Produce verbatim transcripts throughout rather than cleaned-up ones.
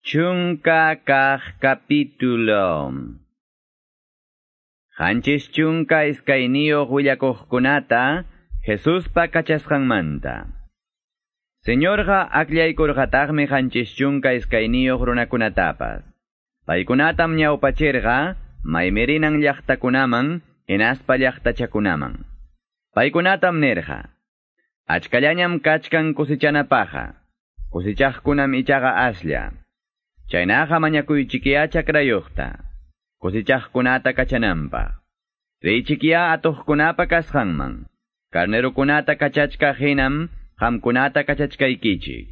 Chunka kaq capítulo. Qanchis chunka iskayniyuq willakuqkunata Jesuspa kachasqanmanta. Señorqa akllaykurqataqmi qanchis chunka iskayniyuq runakunatapas. Paykunatam ñawpachirqa maymirinan llaqtakunaman hinaspa llaqtachakunaman. Paykunatam nirqa: Achkallañam kachkan kusichanapaqqa, kusichaqkunam ichaqa aslla. Chaynaqa mañakuychikiya chakrayuqta, kusichaqkunata kachananpaq. Riychikiya atuqkunapa kasqanman, carnerukunata kachachkaq hinam qamkunata kachachkaykichik.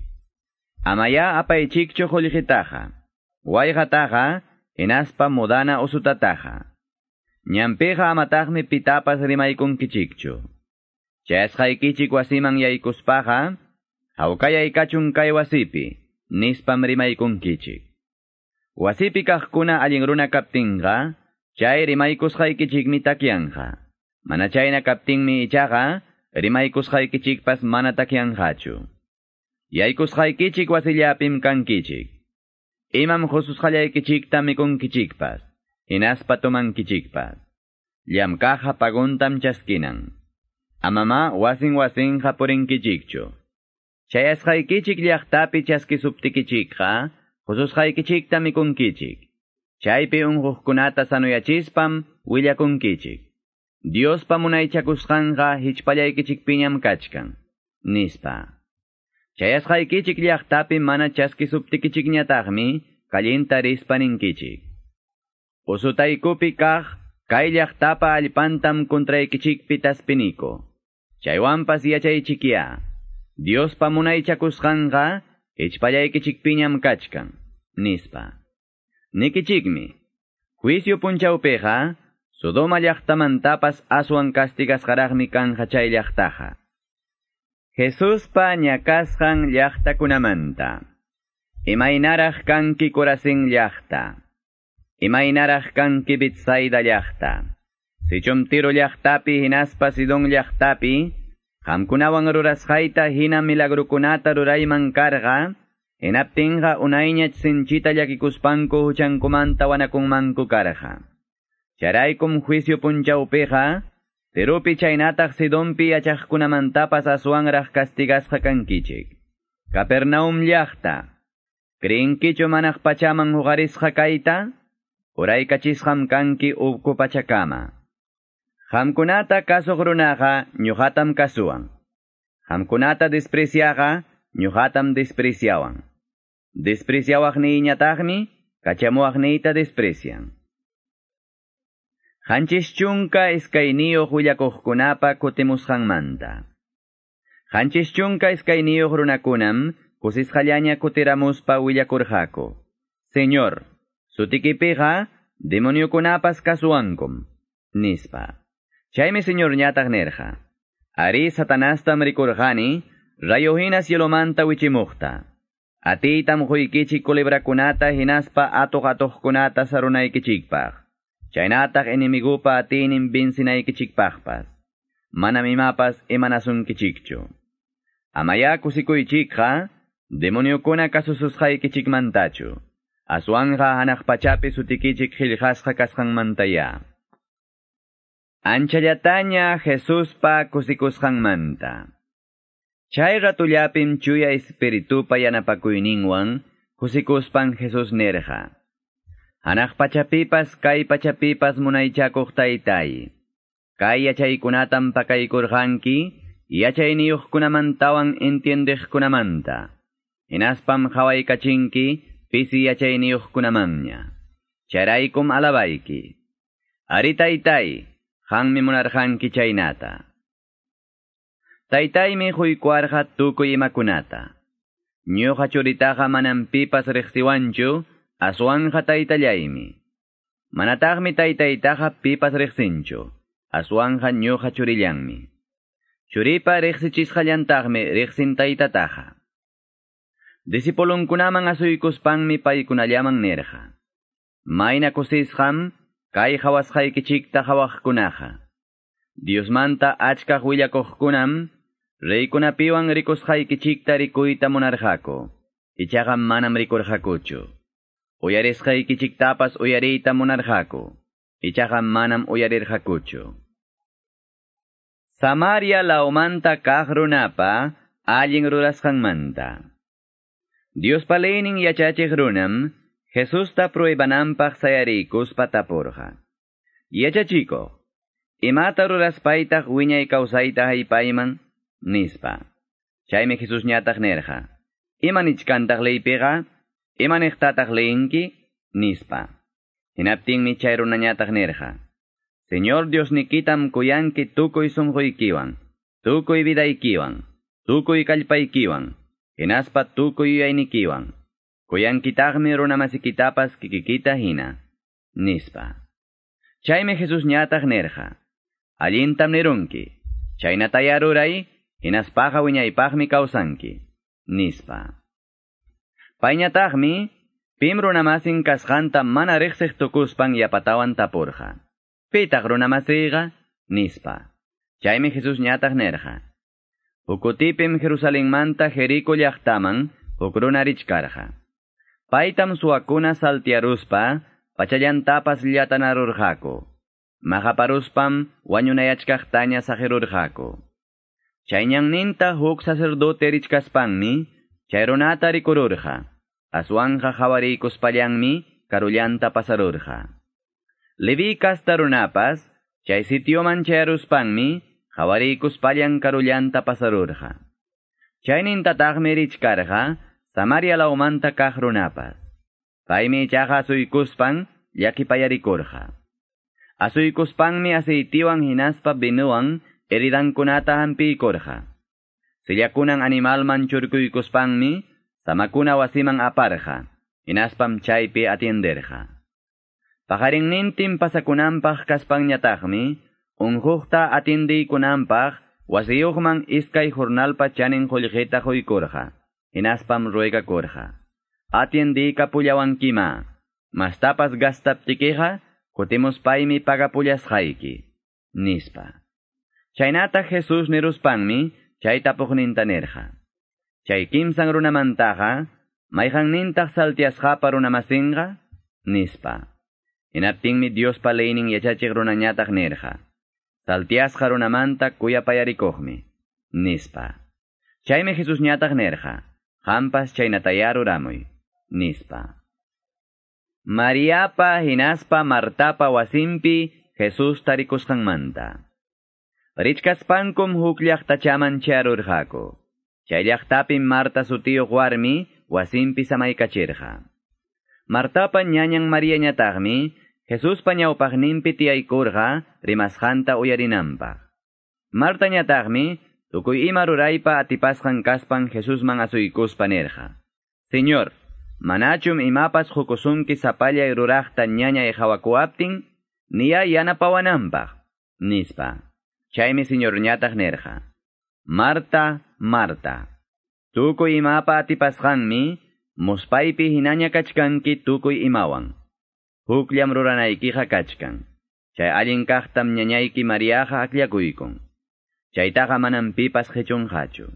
Amaya apaychikchu qullqitaqa, wayqataqa, hinaspa mudana usutataqa. Ñanpiqa amataqmi pitapas rimaykunkichikchu. Chayasqaykichik wasiman yaykuspaqa, hawkayay kachun kay wasipi, nispam rimaykunkichik. Wasipi kaqkuna allin runa kaptinqa, chay rimaykusqaykichikmi takyanqa. Mana chayna kaptinmi ichaqa, rimaykusqaykichikpas mana takyanqachu. Yaykusqaykichik wasillapim kankichik. Imam qususqallaykichikta mikunkichikpas, hinaspa tomankichikpas. Llamkaqqa paguntam chaskinan. Amama wasin wasinqa purinkichikchu. Chayasqaykichik llaqtapi chaskisuptikichikqa, qususqaykichikta mikunkichik. Chaypi unquqkunata sanoyachispam willakunkichik. Diospa munaychakusqanqa hichpallaykichikpiñam kachkan, nispa. Chayasqaykichik llaqtapi mana chaskisuptikichikñataqmi kallinta rispa ninkichik. Usutaykupi kaq kay llaqtapa allpantam contraykichikpi taspiniko. Chaywanpas yachaychikiya. Diospa munaychakusqanqa hichpallaykichikpiñam kachkan, nispa. Nikichikmi, juicio punchawpiqa, Sodoma llaqtamantapas aswan castigasqaraqmi kanja chay llaqtaqa. Jesuspa ñakasqan llaqtakunamanta. Imaynaraq kanki Corazín llaqta. Imaynaraq kanki Betsaida llaqta. Sichum Tiro llaqtapi hinaspa Sidón llaqtapi, qamkunawan rurasqayta hina milagrukunata rurayman karqa, hinaptinqa unayñach sinchita llakikuspanku huchankumanta wanakunmanku karqa. Charaykum juicio punchawpiqa, Tiropi chaynataq Sidonpi yachaqkunamantapas aswanraq castigasqa kankichik. Capernaum llaqta, ¿creenkichu manaq pachaman huqarisqa kayta? Uraykachisqam kanki uku pachakama. Qamkunata kasuq runaqa ñuqatam kasuwan. Qamkunata despreciaqa ñuqatam despreciawan. Despreciawaqniyñataqmi kachamuwaqniyta desprecian. Qanchis chunka iskayniyuq willakuqkunapa kutimusqanmanta. Qanchis chunka iskayniyuq runakunam kusisqallaña kutiramuspa willakurqaku. Señor, sutikipiqa demoniokunapas kasuwankum, nispa. Chaymi Señorñataq nirqa: Ari Satanastam rikurqani, rayo hina cielomanta wichimuqta. Atiytam quykichik culebrakunata hinaspa atuq atuqkunata sarunaykichikpaq. Chaynataq enemigupa atiynin vencinaykichikpaqpas. Manam imapas imanasunkichikchu. Amaya kusikuychikqa, demoniokuna kasususqaykichikmantachu. Aswanqa hanaq pachapi sutikichik qillqasqa kasqanmantaya. Anchallataña Jesuspa kusikusqanmanta. Chay ratullapim chuya espiritupa yanapakuyninwan kusikuspan Jesús nirqa: Hanaq pachapipas kay pachapipas munaychakuq taytay. Kay yachaykunatam pakaykurqanki yachayniyuqkunamantawan entiendeqkunamanta. Hinaspam qawaykachinki pisi yachayniyuqkunamanña. Chayraykum alabayki. Ari taytay, qanmi munarqanki chaynata. Taytaymi quykuwarqa tukuy imakunata. Ñuqa churitaqa manam pipas riqsiwanchu, aswanqa taytallaymi. Manataqmi taytaytaqa pipas riqsinchu, aswanqa ñuqa churillanmi. Churipa riqsichisqallantaqmi riqsin taytataqa. Discipulunkunaman asuykuspanmi paykunallaman nirqa: Mayna kusisqam kay qhawasqaykichikta qhawaqkunaqa. Diosmanta achkaq willakuqkunam reykunapiwan rikusqaykichikta rikuyta munarqaku, ichaqa manam rikurqakuchu. Uyarisqaykichiktapas uyariyta munarqaku, ichaqa manam uyarirqakuchu. Samaria lawmanta kaq runapa allin rurasqanmanta. Diospa leynin yachachiq runam Jesusta pruebananpaq sayariykuspa tapurqa. Yachachikuq, imata ruraspaytaq wiñay kawsayta haypayman, nispa. Chaymi Jesus ñataq nirqa. Ima nichkantaq leypiqa, ima niqtataq leyinki, nispa. Hinaptinmi chay runañataq nirqa. Señor Diosnikitam kuyanki tukuy sunquykiwan, tukuy vidaykiwan, tukuy kallpaykiwan, hinaspa tukuy yuyaynikiwan. Kuyankitaqmi runamasikitapas kikikita hina, nispa. Chaymi Jesus ñataq nirqa. Allintam nirunki, chaynataya ruray, hinaspaqa wiñaypaqmi kawsanki, nispa. Payñataqmi, pim runamasin kasqanta mana riqsiq tukuspan yapatawan tapurqa. Pitaq runamasiyqa, nispa. Chaymi Jesus ñataq nirqa. Huk kutipim Jerusalenmanta Jerico llaqtaman huk runa richkarqa. Paytam suwakuna saltiaruspa, pachallantapas llatanarurqaku. Maqaparuspam wañunayachkaqtaña saqirurqaku. Chay ñanninta huk sacerdote richkaspanmi, chay runata rikururqa. Aswanqa hawariykuspallanmi karullanta pasarurqa. Leví kasta runapas, chay sitioman chayaruspanmi, hawariykuspallan karullanta pasarurqa. Chaynintataqmi richkarqa, Samaria lawmanta kaq runapas. Paymi ichaqa asuykuspan llakipayarikurqa. Asuykuspanmi aceitiwan hinaspa vinuwan heridankunata hampiykurqa. Sillakunan animalman churkuykuspanmi samakuna wasiman aparqa, hinaspam chaypi atienderqa. Paqarinnintin pasakunanpaq kaspanñataqmi, unquqta atiendiykunanpaq wasiyuqman iskay jornalpa chanin qullqita quykurqa. Hinaspam ruegakurqa. Atiendiykapullawankima, mastapas gastaptikiqa, kutimuspaymi pagapullasqayki, nispa. Chaynata Jesus niruspanmi, chay tapuqninta nirqa. Chay kimsan runamantaqa, mayqannintaq saltiasqapa runamasinqa, nispa. Hinaptinmi Diospa leynin yachachiq runañataq nirqa. Saltiasqa runamanta kuyapayarikuqmi, nispa. Chaymi Jesus ñataq nirqa. Qampas chaynataya ruramuy, nispa. Mariapa hinaspa Martapa wasinpi Jesus tarikusqanmanta. Richkaspankum huk llaqtachaman chayarurqaku. Chay llaqtapim Marta sutiyuq warmi wasinpi samaykachirqa. Martapa ñañan Mariañataqmi Jesuspa ñawpaqninpi tiyaykurqa rimasqanta uyarinanpaq. Martañataqmi tukuy ima ruraypa atipasqan kaspan Jesusman asuykuspa nirqa. Señor, manachum imapas qukusunki sapallay ruraqta ñañay hawakuaptin, niya yanapawananpaq, nispa. Chaymi Señorñataq nirqa. Marta, Marta, tukuy imapa atipasqanmi, muspaypi hinaña kachkanki tukuy imawan. Hukllam ruranaykiqa kachkan. Chay allin kaqtam ñañayki Mariaqa akllakuykun. Chaytaqa manam pipas qichunqachu.